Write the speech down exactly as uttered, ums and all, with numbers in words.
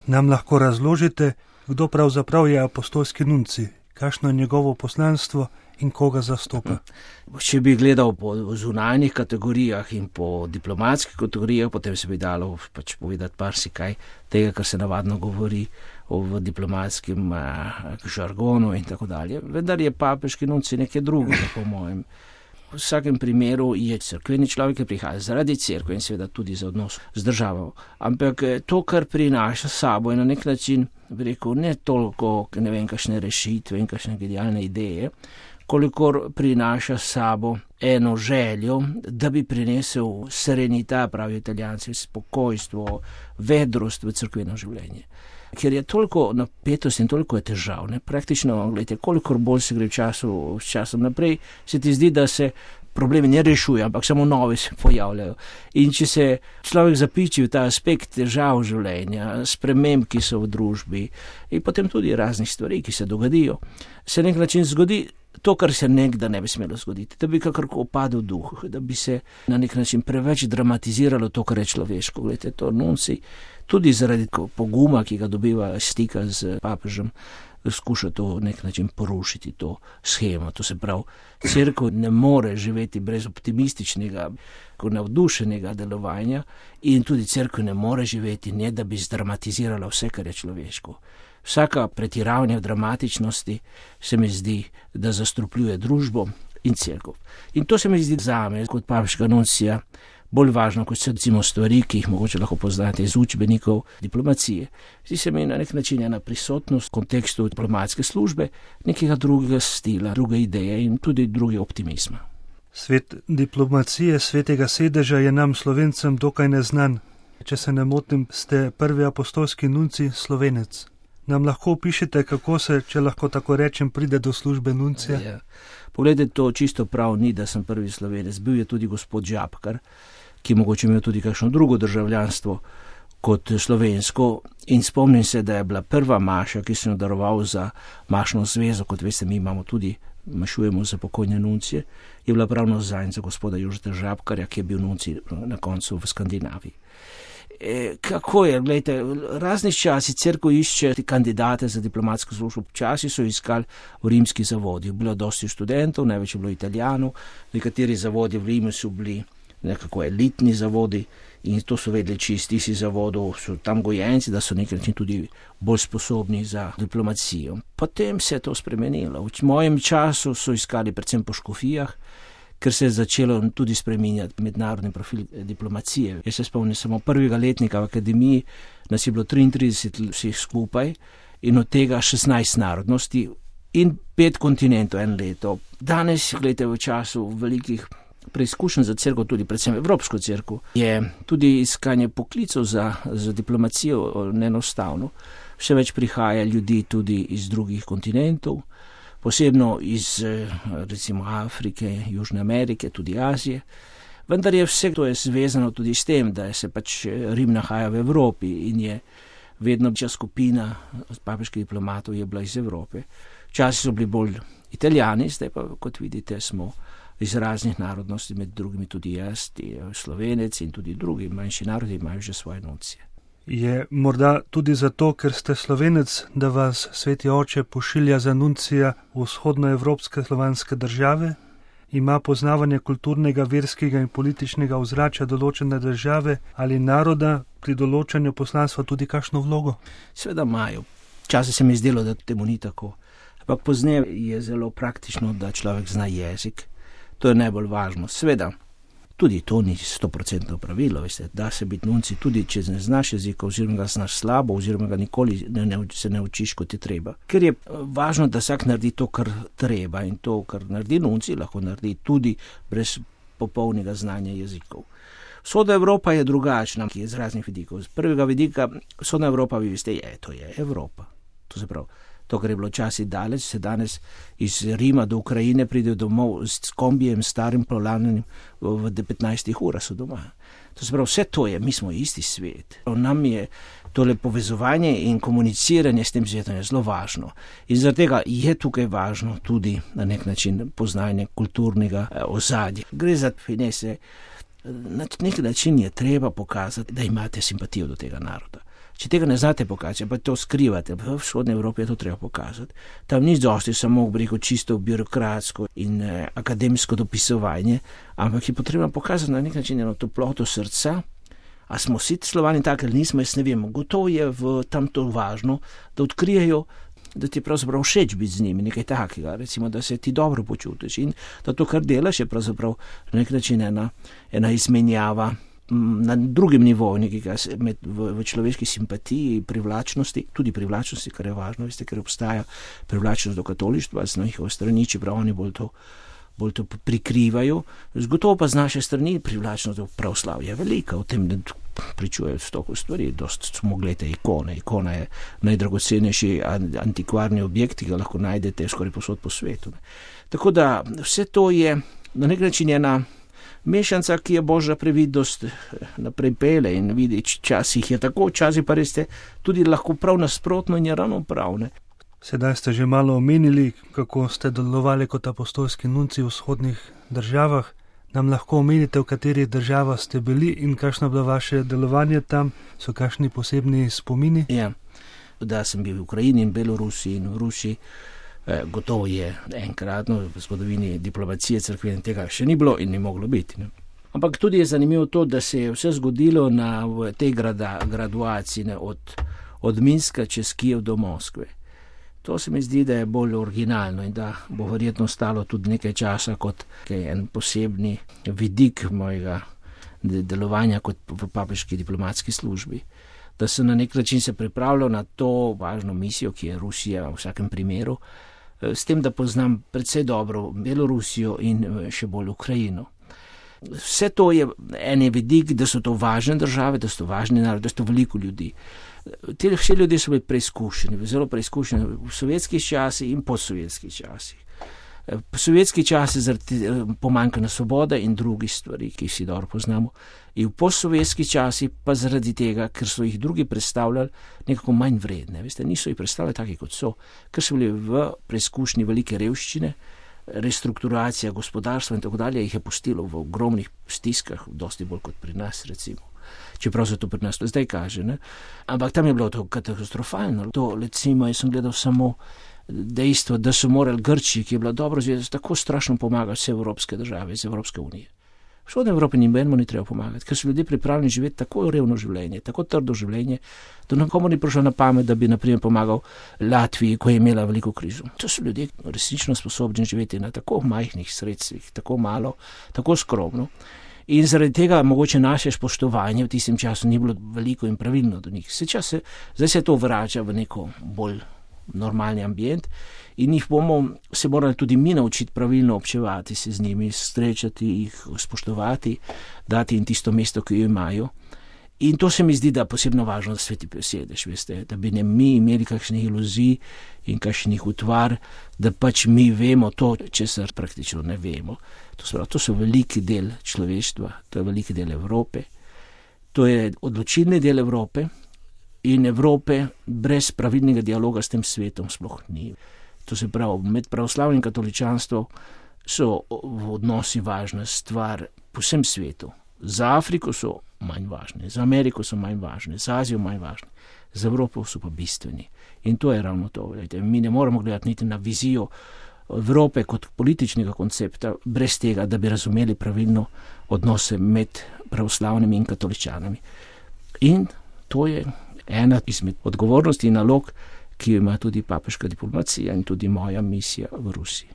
Nam lahko razložite, kdo pravzaprav je apostolski nuncij, kakšno je njegovo poslanstvo in koga zastopa? Če bi gledal po zunanjih kategorijah in po diplomatskih kategorijah, potem se bi dalo pač povedati marsikaj tega, kar se navadno govori v diplomatskem eh, žargonu in tako dalje. Vendar je papeški nuncij nekaj drugega, po mojem. V vsakem primeru je cerkveni človek, ki prihaja zaradi cerkve in seveda tudi za odnos z državo. Ampak to, kar prinaša sabo, je na nek način, bi rekel, ne toliko, ne vem, kakšne rešitve in kakšne genialne ideje, kolikor prinaša sabo eno željo, da bi prinesel serenita, pravi Italijanci, spokojstvo, vedrost v cerkveno življenje. Ker je toliko napetosti in toliko je težav, ne? Praktično, gledajte, kolikor bolj se gre v času, s časom naprej, se ti zdi, da se problemi ne rešujejo, ampak samo nove se pojavljajo. In če se človek zapiči v ta aspekt težav življenja, sprememb, ki so v družbi in potem tudi raznih stvari, ki se dogodijo, se nek način zgodi to, kar se nekda ne bi smelo zgoditi, da bi kakorko opadel duh, da bi se na nek način preveč dramatiziralo to, kar je človeško. Gledajte, to nuncij, tudi zaradi poguma, ki ga dobiva stika z papežem, skuša to nek način porušiti, to shemo. To se pravi, cerkev ne more živeti brez optimističnega, navdušenega delovanja in tudi cerkev ne more živeti, ne da bi zdramatizirala vse, kar je človeško. Vsaka pretiravanja v dramatičnosti se mi zdi, da zastrupljuje družbo in cerkev. In to se mi zdi zame, kot papeškega nuncija, bolj važno, kot so recimo stvari, ki jih mogoče lahko poznate iz učbenikov diplomacije. Zdi se mi na nek način ena prisotnost v kontekstu diplomatske službe, nekega drugega stila, druge ideje in tudi druge optimizma. Svet diplomacije svetega sedeža je nam Slovencem dokaj neznan. Če se ne motim, ste prvi apostolski nuncij Slovenec. Nam lahko opišete, kako se, če lahko tako rečem, pride do službe nuncija? Ja. Poglejte, to čisto prav ni, da sem prvi Slovenec. Bil je tudi gospod Žabkar, ki mogoče imel tudi kakšno drugo državljanstvo kot slovensko. In spomnim se, da je bila prva maša, ki sem jo daroval za mašno zvezo, kot veste, mi imamo tudi, mašujemo za pokojne nuncije, je bila pravno zanj za gospoda Jožeta Žabkarja, ki je bil nuncij na koncu v Skandinaviji. E, kako je, gledajte, raznih časi cerkev išče kandidate za diplomatsko službo. Časi so iskali v rimskih zavodih. Bilo dosti študentov, največ je bilo Italijanov, nekateri zavodi v Rimu so bili nekako elitni zavodi in to so vedeli čisti si zavodov, so tam gojenci, da so nekaj način tudi bolj sposobni za diplomacijo. Potem se je to spremenilo. V mojem času so iskali predvsem po škofijah, ker se je začelo tudi spreminjati mednarodni profil diplomacije. Jaz se spomnim samo prvega letnika v akademiji, nas je bilo triintrideset vseh skupaj in od tega šestnajst narodnosti in pet kontinentov en leto. Danes, gledajte, v času velikih preizkušenj za cerkev, tudi predvsem Evropsko cerkev, je tudi iskanje poklicov za, za diplomacijo neenostavno. Vse več prihaja ljudi tudi iz drugih kontinentov, posebno iz recimo Afrike, Južne Amerike, tudi Azije. Vendar je vse to je zvezano tudi s tem, da se pač Rim nahaja v Evropi in je vedno večja skupina papeških diplomatov je bila iz Evrope. Včasih so bili bolj Italijani, zdaj pa, kot vidite, smo iz raznih narodnosti, med drugimi tudi jaz, Slovenec in tudi drugi manjši narodi imajo že svoje nuncije. Je morda tudi zato, ker ste Slovenec, da vas Sveti Oče pošilja za nuncija v vzhodnoevropske slovanske države? Ima poznavanje kulturnega, verskega in političnega ozračja določene države ali naroda pri določanju poslanstva tudi kakšno vlogo? Seveda imajo. Včasih se mi je zdelo, da temu ni tako. Ampak pozneje je zelo praktično, da človek zna jezik. To je najbolj važno. Seveda, tudi to ni stoprocentno pravilo, veste, da se biti nuncij tudi, če ne znaš jezika, oziroma ga znaš slabo, oziroma ga nikoli ne, ne, se ne učiš, kot je treba. Ker je važno, da vsak naredi to, kar treba in to, kar naredi nuncij, lahko naredi tudi brez popolnega znanja jezikov. Vzhodna Evropa je drugačna, ki je z raznih vidikov. Z prvega vidika, vzhodna Evropa, vi veste, je, to je Evropa. To se pravi, to, kar je bilo časih daleč, se danes iz Rima do Ukrajine pride domov s kombijem, starim plovlanim, v petnajstih urah so doma. To se pravi, vse to je, mi smo isti svet. Nam je tole povezovanje in komuniciranje s tem svetom je zelo važno. In zaradi tega je tukaj važno tudi na nek način poznanje kulturnega ozadja. Gre za finese. Na nek način je treba pokazati, da imate simpatijo do tega naroda. Če tega ne znate pokazati, pa to skrivate, v vzhodni Evropi je to treba pokazati. Tam ni dosti samo breko čisto birokratsko in eh, akademsko dopisovanje, ampak je potrebno pokazati na nek način eno toploto srca. A smo vsi Slovani taki ali nismo, jaz ne vem. Gotovo je v tam to važno, da odkrijejo, da ti je pravzaprav všeč biti z njimi, nekaj takega, recimo, da se ti dobro počutiš in da to, kar delaš, je pravzaprav na nek način ena, ena izmenjava na drugem nivoju, nekega med, v, v človeški simpatiji, privlačnosti, tudi privlačnosti, kar je važno, veste, ker obstaja privlačnost do katolištva z njihove strani, čeprav oni bolj to, bolj to prikrivajo. Zgotovo pa z naše strani privlačnost do pravoslavja je velika, o tem ne pričujejo stoko stvari, dost smo gledali ikone. Ikona je najdragocenejši antikvarni objekt, ki ga lahko najdete skoraj posod po svetu. Tako da vse to je na nek način ena mešanca, ki je božja previdnost naprej pele in vidi, časih je tako, časih pa res je tudi lahko prav nasprotno in je ravno prav. Ne? Sedaj ste že malo omenili, kako ste delovali kot apostolski nunci v vzhodnih državah. Nam lahko omenite, v katerih državah ste bili in kakšno je bilo vaše delovanje tam, so kakšni posebni spomini? Ja, da sem bil v Ukrajini in Belorusiji in v Rusiji. Gotovo je enkratno v zgodovini diplomacije cerkvene tega še ni bilo in ni moglo biti. Ne? Ampak tudi je zanimivo to, da se je vse zgodilo na v tej grada, graduaciji ne, od, od Minska čez Kijev do Moskve. To se mi zdi, da je bolj originalno in da bo verjetno stalo tudi nekaj časa kot en posebni vidik mojega delovanja kot v papeški diplomatski službi. Da sem na nek način se pripravljal na to važno misijo, ki je Rusija v vsakem primeru, s tem, da poznam predvsej dobro Belorusijo in še bolj Ukrajino. Vse to je en vidik, da so to važne države, da so to važni narod, da so to veliko ljudi. Te vse ljudje so bili preizkušeni, zelo preizkušeni v sovjetskih časih in postsovjetskih časih. Sovjetski časi zaradi pomanjkanja svobode in drugih stvari, ki jih si dobro poznamo, in v postsovjetski časi pa zaradi tega, ker so jih drugi predstavljali nekako manj vredne. Veste, niso jih predstavljali taki, kot so, ker so bili v preizkušnji velike revščine, restrukturacija gospodarstva in tako dalje, jih je pustilo v ogromnih stiskah, dosti bolj kot pri nas, recimo. Čeprav se to pri nas to zdaj kaže, ne? Ampak tam je bilo to katastrofalno. To, recimo, jaz sem gledal samo dejstvo, da so morali Grčiji, ki je bila dobro zveza, tako strašno pomagati vse evropske države iz Evropske unije. V vzhodni Evropi nibenemu ni treba pomagati, ker so ljudje pripravljeni živeti tako revno življenje, tako trdo življenje, da nikomu ni prišlo na pamet, da bi naprimer pomagal Latviji, ko je imela veliko krizo. To so ljudje resnično sposobni živeti na tako majhnih sredstvih, tako malo, tako skromno. In zaradi tega mogoče naše spoštovanje v tistem času ni bilo veliko in pravilno do njih. Se čas se, zdaj se to vrača v neko bolj normalni ambient in jih bomo se morali tudi mi naučiti pravilno občevati se z njimi, srečati jih, spoštovati, dati jim tisto mesto, ki jo imajo. In to se mi zdi, da je posebno važno, da sveti besedeš, veste, da bi ne mi imeli kakšnih iluzij in kakšnih utvar, da pač mi vemo to, česar praktično ne vemo. To, sprav, to so veliki del človeštva, to je veliki del Evrope, to je odločilni del Evrope in Evrope brez pravilnega dialoga s tem svetom sploh ni. To se pravi, med pravoslavnim katoličanstvom so v odnosi važna stvar po vsem svetu. Za Afriko so manj važne, za Ameriko so manj važne, za Azijo manj važne, za Evropo so pa bistveni. In to je ravno to. Gledajte, mi ne moramo gledati niti na vizijo Evrope kot političnega koncepta, brez tega, da bi razumeli pravilno odnose med pravoslavnimi in katoličanami. In to je ena izmed odgovornosti in nalog, ki jo ima tudi papeška diplomacija in tudi moja misija v Rusiji.